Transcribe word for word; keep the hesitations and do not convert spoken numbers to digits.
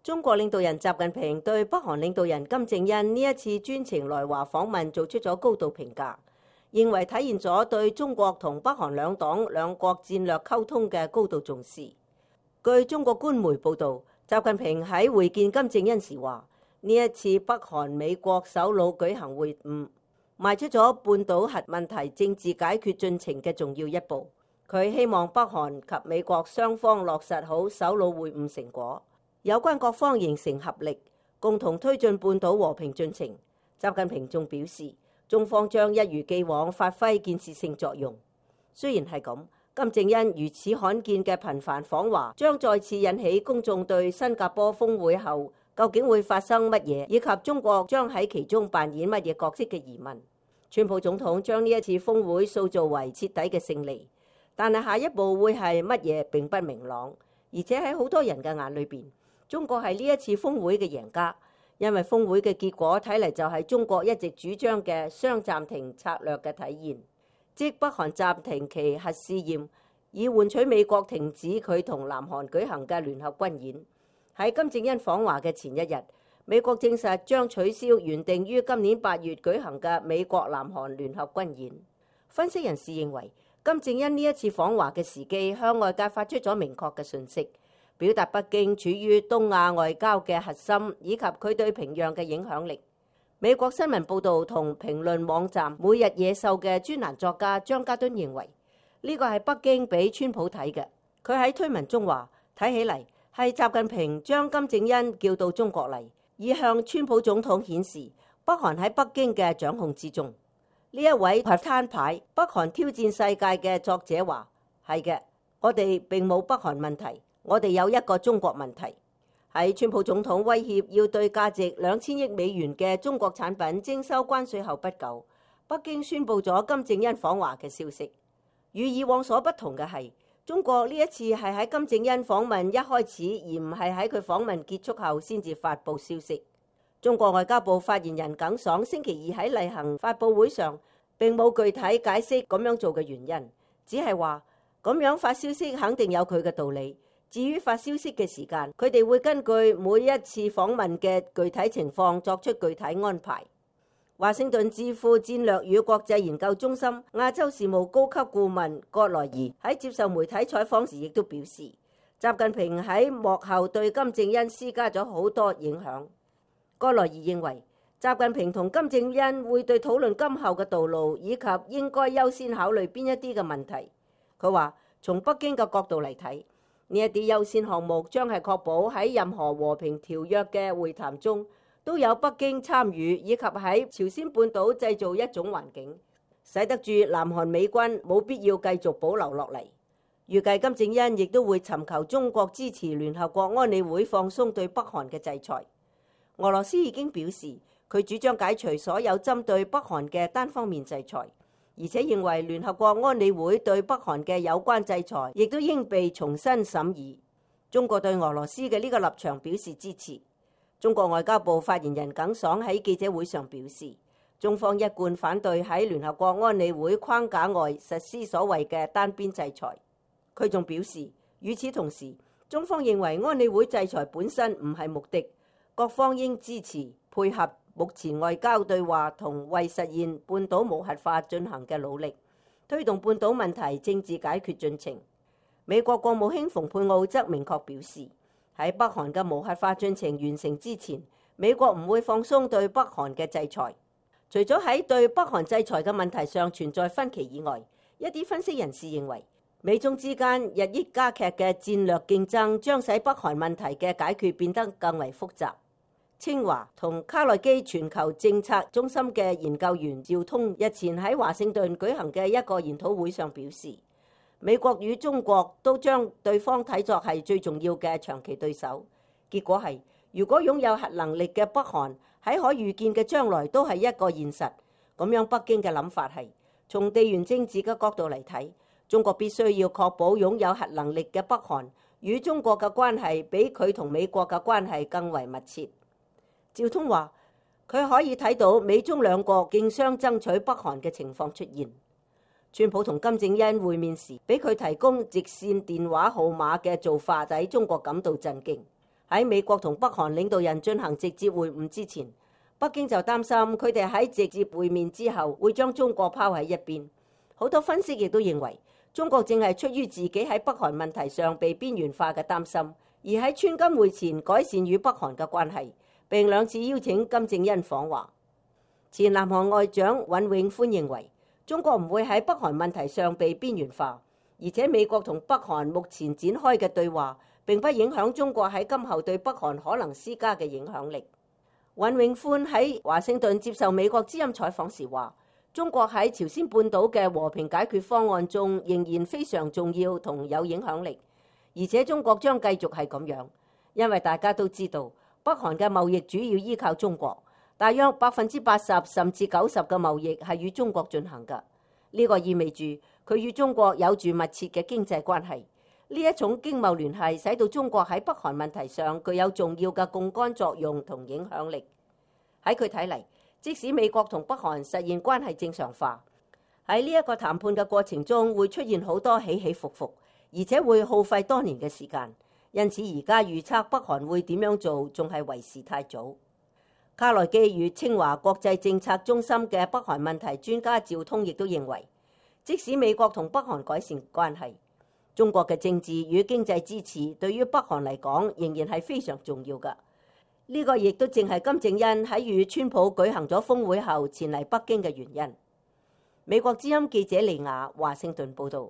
中國領導人習近平對北韓領導人金正恩呢一次專程來華訪問做出咗高度評價，認為體現咗對中國同北韓兩黨兩國戰略溝通嘅高度重視。據中國官媒報導，習近平喺會見金正恩時話：呢一次北韓美國首腦舉行會晤，邁出咗半島核問題政治解決進程嘅重要一步。佢希望北韓及美國雙方落實好首腦會晤成果。有關各方形成合力，共同推進半島和平進程。習近平仲表示，中方將一如既往發揮建設性作用。雖然係咁，金正恩如此罕見嘅頻繁訪華，將再次引起公眾對新加坡峰會後究竟會發生乜嘢，以及中國將喺其中扮演乜嘢角色嘅疑問。川普總統將呢一次峰會塑造為徹底嘅勝利，但係下一步會係乜嘢並不明朗，而且喺好多人嘅眼裏邊，中國係呢一次峰會嘅贏家，因為峰會嘅結果睇嚟就係中國一直主張嘅雙暫停策略嘅體現，即北韓暫停其核試驗，以換取美國停止佢同南韓舉行嘅聯合軍演。喺金正恩訪華嘅前一日，美國證實將取消原定於今年八月舉行嘅美國南韓聯合軍演。分析人士認為，金正恩呢一次訪華嘅時機向外界發出咗明確嘅訊息，表達北京處於東亞外交嘅核心，以及佢對平壤嘅影響力。美國新聞報導同評論網站每日野獸嘅專欄作家張家敦認為，呢個係北京俾川普睇嘅。佢喺推文中話：睇起嚟係習近平將金正恩叫到中國嚟，以向川普總統顯示北韓喺北京嘅掌控之中。呢一位係攤牌北韓挑戰世界嘅作者話：係嘅，我哋並冇北韓問題。我哋有一個中國問題。喺川普總統威脅要對價值兩千億美元嘅中國產品徵收關稅後不久，北京宣布咗金正恩訪華嘅消息。與以往所不同嘅係，中國呢一次係喺金正恩訪問一開始，而唔係喺佢訪問結束後先至發布消息。中國外交部發言人耿爽星期二喺例行發佈會上並冇具體解釋咁樣做嘅原因，只係話咁樣發消息肯定有佢嘅道理。至於發消息嘅時間，佢哋會根據每一次訪問嘅具體情況作出具體安排。華盛頓智庫戰略與國際研究中心亞洲事務高級顧問葛萊儀喺接受媒體採訪時亦都表示，習近平喺幕後對金正恩施加咗好多影響。葛萊儀認為，習近平同金正恩會對討論今後嘅道路以及應該優先考慮邊一啲嘅問題。佢話，從北京嘅角度嚟睇，呢一啲優先項目將係確保喺任何和平條約嘅會談中都有北京參與，以及喺朝鮮半島製造一種環境，使得住南韓美軍冇必要繼續保留落嚟。預計金正恩亦都會尋求中國支持聯合國安理會放鬆對北韓嘅制裁。俄羅斯已經表示，佢主張解除所有針對北韓嘅單方面制裁。而且認為聯合國安理會對北韓嘅有關制裁亦都應被重新審議。中國對俄羅斯嘅呢個立場表示支持。中國外交部發言人耿爽喺記者會上表示，中方一貫反對喺聯合國安理會框架外實施所謂嘅單邊制裁。佢仲表示，與此同時，中方認為安理會制裁本身唔係目的，各方應支持配合目前外交對話同為實現半島無核化進行嘅努力，推動半島問題政治解決進程。美國國務卿蓬佩奧則明確表示，喺北韓嘅無核化進程完成之前，美國唔會放鬆對北韓嘅制裁。除咗喺對北韓制裁嘅問題上存在分歧以外，一啲分析人士認為，美中之間日益加劇嘅戰略競爭將使北韓問題嘅解決變得更為複雜。清華同卡內基全球政策中心嘅研究員趙通日前喺華盛頓舉行嘅一個研討會上表示，美國與中國都將對方睇作係最重要嘅長期對手。結果係，如果擁有核能力嘅北韓喺可預見嘅將來都係一個現實，咁樣北京嘅諗法係，從地緣政治嘅角度嚟睇，中國必須要確保擁有核能力嘅北韓與中國嘅關係比佢同美國嘅關係更為密切。趙通話，佢可以睇到美中兩國競相爭取北韓嘅情況出現。川普同金正恩會面時，俾佢提供直線電話號碼嘅做法，使中國感到震驚。喺美國同北韓領導人進行直接會晤之前，北京就擔心佢哋喺直接會面之後會將中國拋喺一邊。好多分析亦都認為，中國正係出於自己喺北韓問題上被邊緣化嘅擔心，而喺川金會前改善與北韓嘅關係，並兩次邀請金正恩訪華。前南韓外長尹永歡認為，中國唔會喺北韓問題上被邊緣化，而且美國同北韓目前展開嘅對話並不影響中國喺今後對北韓可能施加嘅影響力。尹永歡喺華盛頓接受美國之音採訪時話，中國喺朝鮮半島嘅和平解決方案中仍然非常重要同有影響力，而且中國將繼續係咁樣，因為大家都知道北韓嘅貿易主要依靠中國，大約百分之八十甚至九十嘅貿易係與中國進行㗎。呢個意味住佢與中國有住密切嘅經濟關係。呢一種經貿聯繫使到中國喺北韓問題上具有重要嘅槓桿作用同影響力。喺佢睇嚟，即使美國同北韓實現關係正常化，喺呢一個談判嘅過程中會出現好多起起伏伏，而且會耗費多年嘅時間。因此而家預測北韓會點樣做仲係為時太早。卡內基與清華國際政策中心嘅北韓問題專家趙通亦都認為，即使美國同北韓改善關係，中國嘅政治與經濟支持對於北韓嚟講仍然係非常重要㗎。呢個亦都正係金正恩喺與川普舉行咗峰會後前嚟北京嘅原因。美國之音記者李雅華盛頓報導。